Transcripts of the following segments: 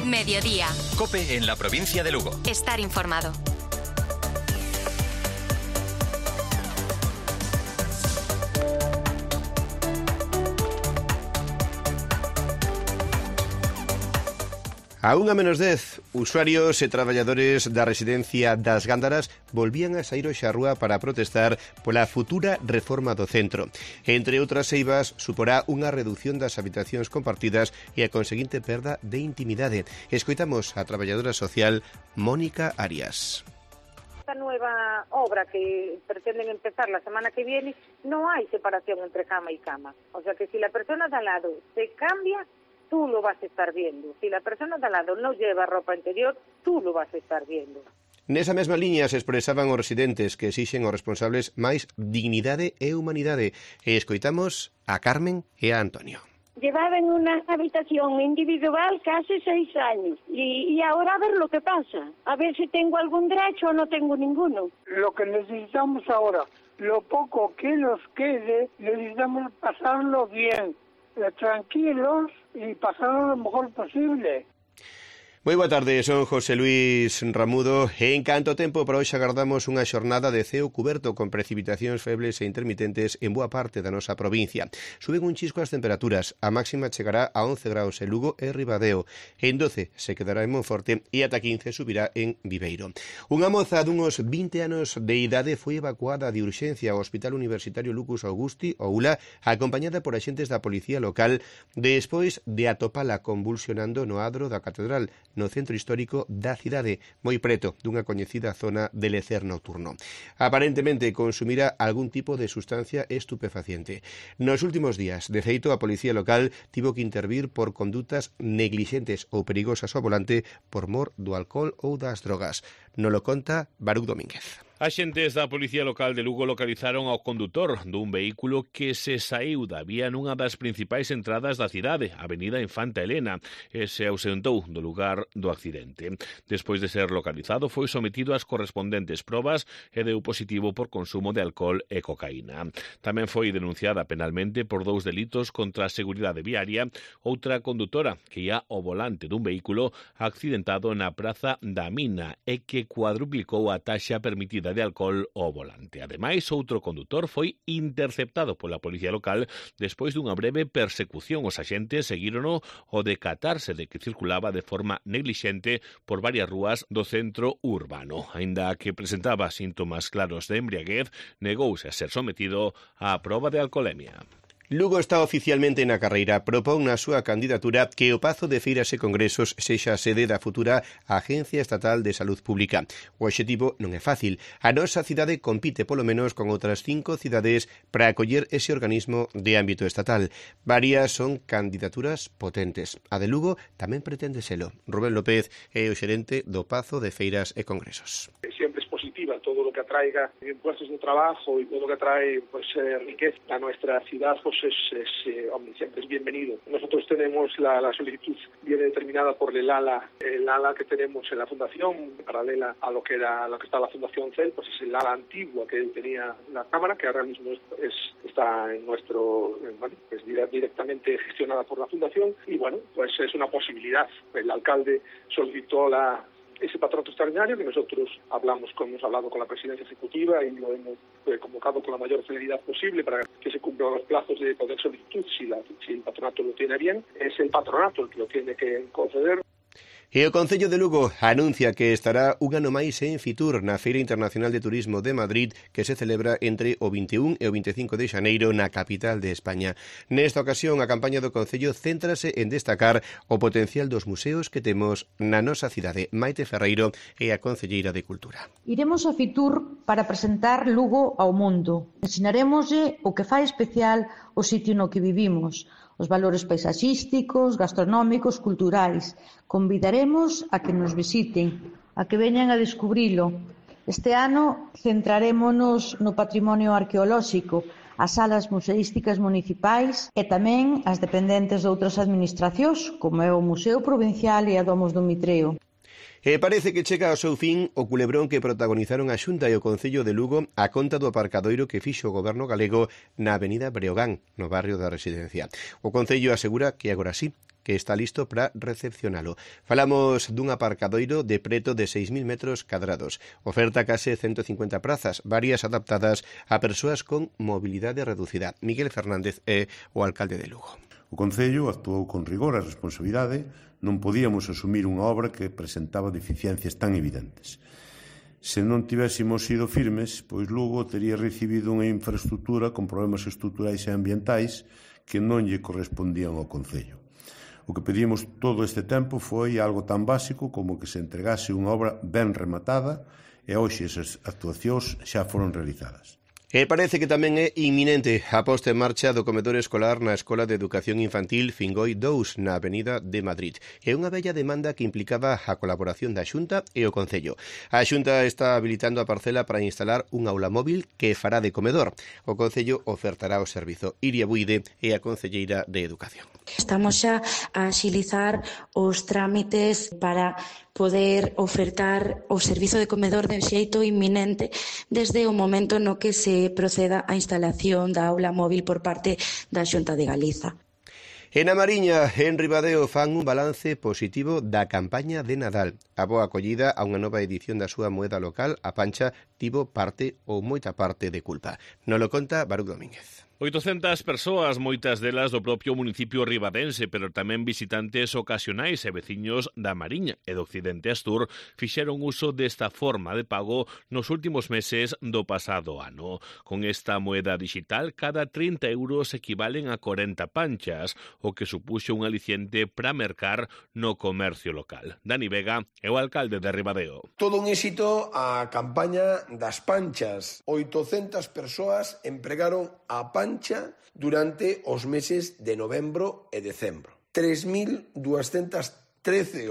Mediodía. COPE en la provincia de Lugo. Estar informado. A 1:10, usuarios e traballadores da residencia das Gándaras volvían a saír hoxe á rúa para protestar pola futura reforma do centro. Entre outras eivas, suporá unha reducción das habitacións compartidas e a conseguinte perda de intimidade. Escoitamos a traballadora social Mónica Arias. Esta nueva obra que pretenden empezar la semana que viene, no hay separación entre cama y cama. O sea que si la persona de al lado se cambia, tú lo vas a estar viendo. Si la persona de al lado no lleva ropa interior, tú lo vas a estar viendo. Nesa mesma liña se expresaban os residentes que exixen aos responsables máis dignidade e humanidade. E escoitamos a Carmen e a Antonio. Llevaba en una habitación individual casi 6 años y ahora a ver lo que pasa, a ver si tengo algún derecho o no tengo ninguno. Lo que necesitamos ahora, lo poco que nos quede, necesitamos pasarlo bien, tranquilos y pasarlo lo mejor posible. Moi boa tarde, son José Luis Ramudo e en canto tempo para hoxe agardamos unha xornada de ceo cuberto con precipitacións febles e intermitentes en boa parte da nosa provincia. Suben un chisco as temperaturas, a máxima chegará a 11 graus en Lugo e Ribadeo, en 12 se quedará en Monforte e ata 15 subirá en Viveiro. Unha moza dunos 20 anos de idade foi evacuada de urxencia ao Hospital Universitario Lucas Augusti, ou ULA, acompañada por axentes da policía local despois de atopala convulsionando no adro da catedral, no centro histórico da cidade, moi preto dunha coñecida zona de lecer nocturno. Aparentemente consumira algún tipo de sustancia estupefaciente. Nos últimos días, de feito, a policía local tivo que intervir por condutas neglixentes ou perigosas ao volante por mor do alcohol ou das drogas. Nolo conta Baruch Domínguez. Axentes da Policía Local de Lugo localizaron ao condutor dun vehículo que se saíu da vía nunha das principais entradas da cidade, Avenida Infanta Elena, e se ausentou do lugar do accidente. Despois de ser localizado, foi sometido ás correspondentes probas e deu positivo por consumo de alcohol e cocaína. Tamén foi denunciada penalmente por 2 delitos contra a seguridade viaria, outra condutora que ia ao volante dun vehículo accidentado na Praza da Mina e que cuadruplicou a taxa permitida de alcohol ao volante. Ademais, outro condutor foi interceptado pola policía local despois dunha breve persecución. Os axentes seguírono ao decatarse de que circulaba de forma neglixente por varias rúas do centro urbano. Aínda que presentaba síntomas claros de embriaguez, negouse a ser sometido á proba de alcolemia. Lugo está oficialmente na carreira. Propón na súa candidatura que o Pazo de Feiras e Congresos sexa a sede da futura Agencia Estatal de Salud Pública. O obxectivo non é fácil. A nosa cidade compite polo menos con outras 5 cidades para acoller ese organismo de ámbito estatal. Varias son candidaturas potentes. A de Lugo tamén pretende selo. Rubén López é o xerente do Pazo de Feiras e Congresos. Siempre es positiva todo lo que atraiga puestos de trabajo y todo lo que atrae riqueza a nuestra ciudad, siempre es bienvenido. Nosotros tenemos la solicitud viene determinada por el ala que tenemos en la fundación, paralela a lo que está la fundación CEL, pues es el ala antigua que tenía la Cámara, que ahora mismo está en nuestro, es directamente gestionada por la fundación, y bueno, pues es una posibilidad. El alcalde solicitó ese patronato extraordinario que nosotros hemos hablado con la presidencia ejecutiva y lo hemos convocado con la mayor celeridad posible para que se cumplan los plazos de poder solicitud si el patronato lo tiene bien. Es el patronato el que lo tiene que conceder. E o Concello de Lugo anuncia que estará un ano máis en Fitur na Feira Internacional de Turismo de Madrid que se celebra entre o 21 e o 25 de xaneiro na capital de España. Nesta ocasión, a campaña do Concello céntrase en destacar o potencial dos museos que temos na nosa cidade. Maite Ferreiro é a concelleira de Cultura. Iremos a Fitur para presentar Lugo ao mundo. Ensinaremoslle o que fai especial o sitio no que vivimos, os valores paisaxísticos, gastronómicos, culturais. Convidaremos a que nos visiten, a que veñan a descubrilo. Este ano centrarémonos no patrimonio arqueolóxico, as salas museísticas municipais e tamén as dependentes de outras administracións, como é o Museo Provincial e a Domos do Mitreo. E parece que chega ao seu fin o culebrón que protagonizaron a Xunta e o Concello de Lugo a conta do aparcadoiro que fixo o goberno galego na avenida Breogán, no barrio da Residencia. O Concello asegura que agora sí, que está listo para recepcionalo. Falamos dun aparcadoiro de preto de 6.000 metros cadrados. Oferta case 150 prazas, varias adaptadas a persoas con mobilidade reducida. Miguel Fernández é o alcalde de Lugo. O Concello actuou con rigor e responsabilidade. Non podíamos asumir unha obra que presentaba deficiencias tan evidentes. Se non tivésemos sido firmes, pois Lugo tería recibido unha infraestructura con problemas estruturais e ambientais que non lle correspondían ao Concello. O que pedimos todo este tempo foi algo tan básico como que se entregase unha obra ben rematada e hoxe esas actuacións xa foron realizadas. E parece que tamén é inminente a posta en marcha do comedor escolar na Escola de Educación Infantil Fingoi 2 na Avenida de Madrid. É unha bella demanda que implicaba a colaboración da Xunta e o Concello. A Xunta está habilitando a parcela para instalar un aula móvil que fará de comedor. O Concello ofertará o servizo. Iria Buide é a concelleira de Educación. Estamos xa a axilizar os trámites para poder ofertar o servizo de comedor de xeito inminente desde o momento no que se proceda a instalación da aula móvil por parte da Xunta de Galiza. En a Mariña, en Ribadeo, fan un balance positivo da campaña de Nadal. A boa acollida a unha nova edición da súa moeda local, a pancha, tivo parte ou moita parte de culpa. Non lo conta Baruch Domínguez. 800 persoas, moitas delas do propio municipio ribadense, pero tamén visitantes ocasionais e veciños da Mariña e do Occidente Astur fixeron uso desta forma de pago nos últimos meses do pasado ano. Con esta moeda digital, cada 30 euros equivalen a 40 panchas, o que supuxo un aliciente para mercar no comercio local. Dani Vega é o alcalde de Ribadeo. Todo un éxito a campaña das panchas. 800 persoas empregaron a pancha durante os meses de novembro e decembro. 3.213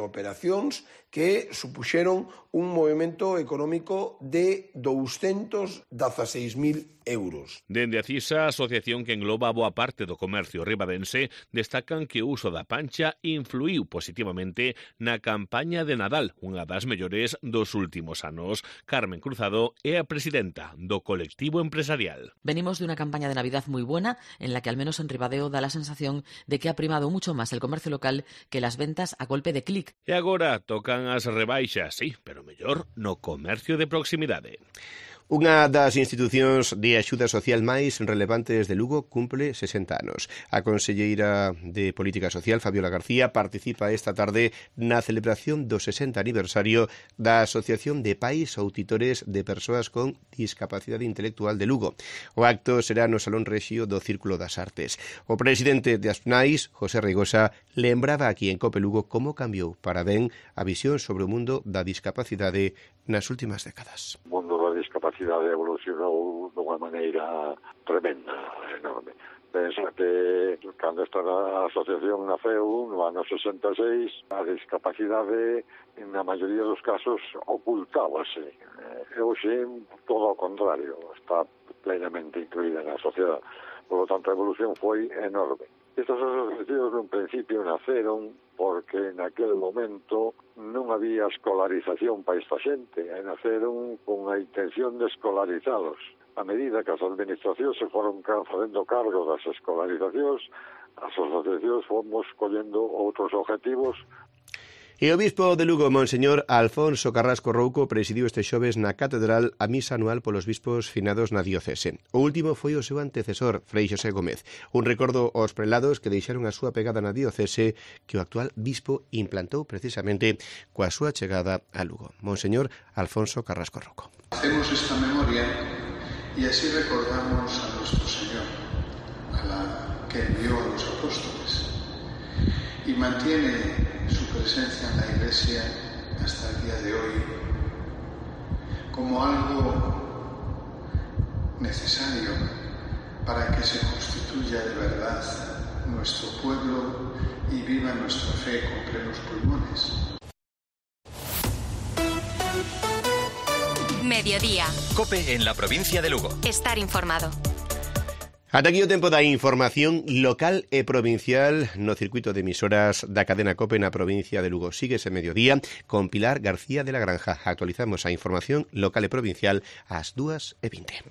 operacións que supuxeron un movimento económico de 216.000 euros. Dende a CISA, a asociación que engloba boa parte do comercio ribadense, destacan que o uso da pancha influiu positivamente na campaña de Nadal, unha das mellores dos últimos anos. Carmen Cruzado é a presidenta do colectivo empresarial. Venimos de una campaña de Navidad muy buena, en la que al menos en Ribadeo da la sensación de que ha primado mucho más el comercio local que las ventas a golpe de clic. E agora tocan as rebaixas, sí, pero mellor no comercio de proximidade. Unha das institucións de axuda social máis relevantes de Lugo cumple 60 anos. A conselleira de Política Social, Fabiola García, participa esta tarde na celebración do 60 aniversario da Asociación de Pais ou Titores de Persoas con Discapacidade Intelectual de Lugo. O acto será no Salón Rexio do Círculo das Artes. O presidente de Aspnais, José Reigosa, lembraba aquí en Cope Lugo como cambiou para ben a visión sobre o mundo da discapacidade nas últimas décadas. O mundo da discapacidade evolucionou dunha maneira tremenda, enorme. Pensa que cando esta asociación naceu no ano 66, a discapacidade na maioría dos casos ocultábase. E hoxe todo ao contrario, está plenamente incluída na sociedade. Por lo tanto, a evolución foi enorme. Estas asociacións no principio naceron porque naquele momento non había escolarización para esta xente, e naceron con a intención de escolarizalos. A medida que as administracións se foron facendo cargo das escolarizacións, as asociacións fomos collendo outros objetivos. E o bispo de Lugo, Monseñor Alfonso Carrasco Rouco, presidiu este xoves na Catedral a misa anual polos bispos finados na diocese. O último foi o seu antecesor, Frei Xosé Gómez. Un recordo aos prelados que deixaron a súa pegada na diocese que o actual bispo implantou precisamente coa súa chegada a Lugo. Monseñor Alfonso Carrasco Rouco. Hacemos esta memoria y así recordamos a nuestro Señor, a la que envió a los apóstoles, y mantiene su presencia en la Iglesia hasta el día de hoy como algo necesario para que se constituya de verdad nuestro pueblo y viva nuestra fe con plenos pulmones. Mediodía. COPE en la provincia de Lugo. Estar informado. Ata aquí o tempo da información local e provincial no circuito de emisoras da cadena COPE na provincia de Lugo. Sigue ese mediodía con Pilar García de la Granja. Actualizamos a información local e provincial ás 2:20.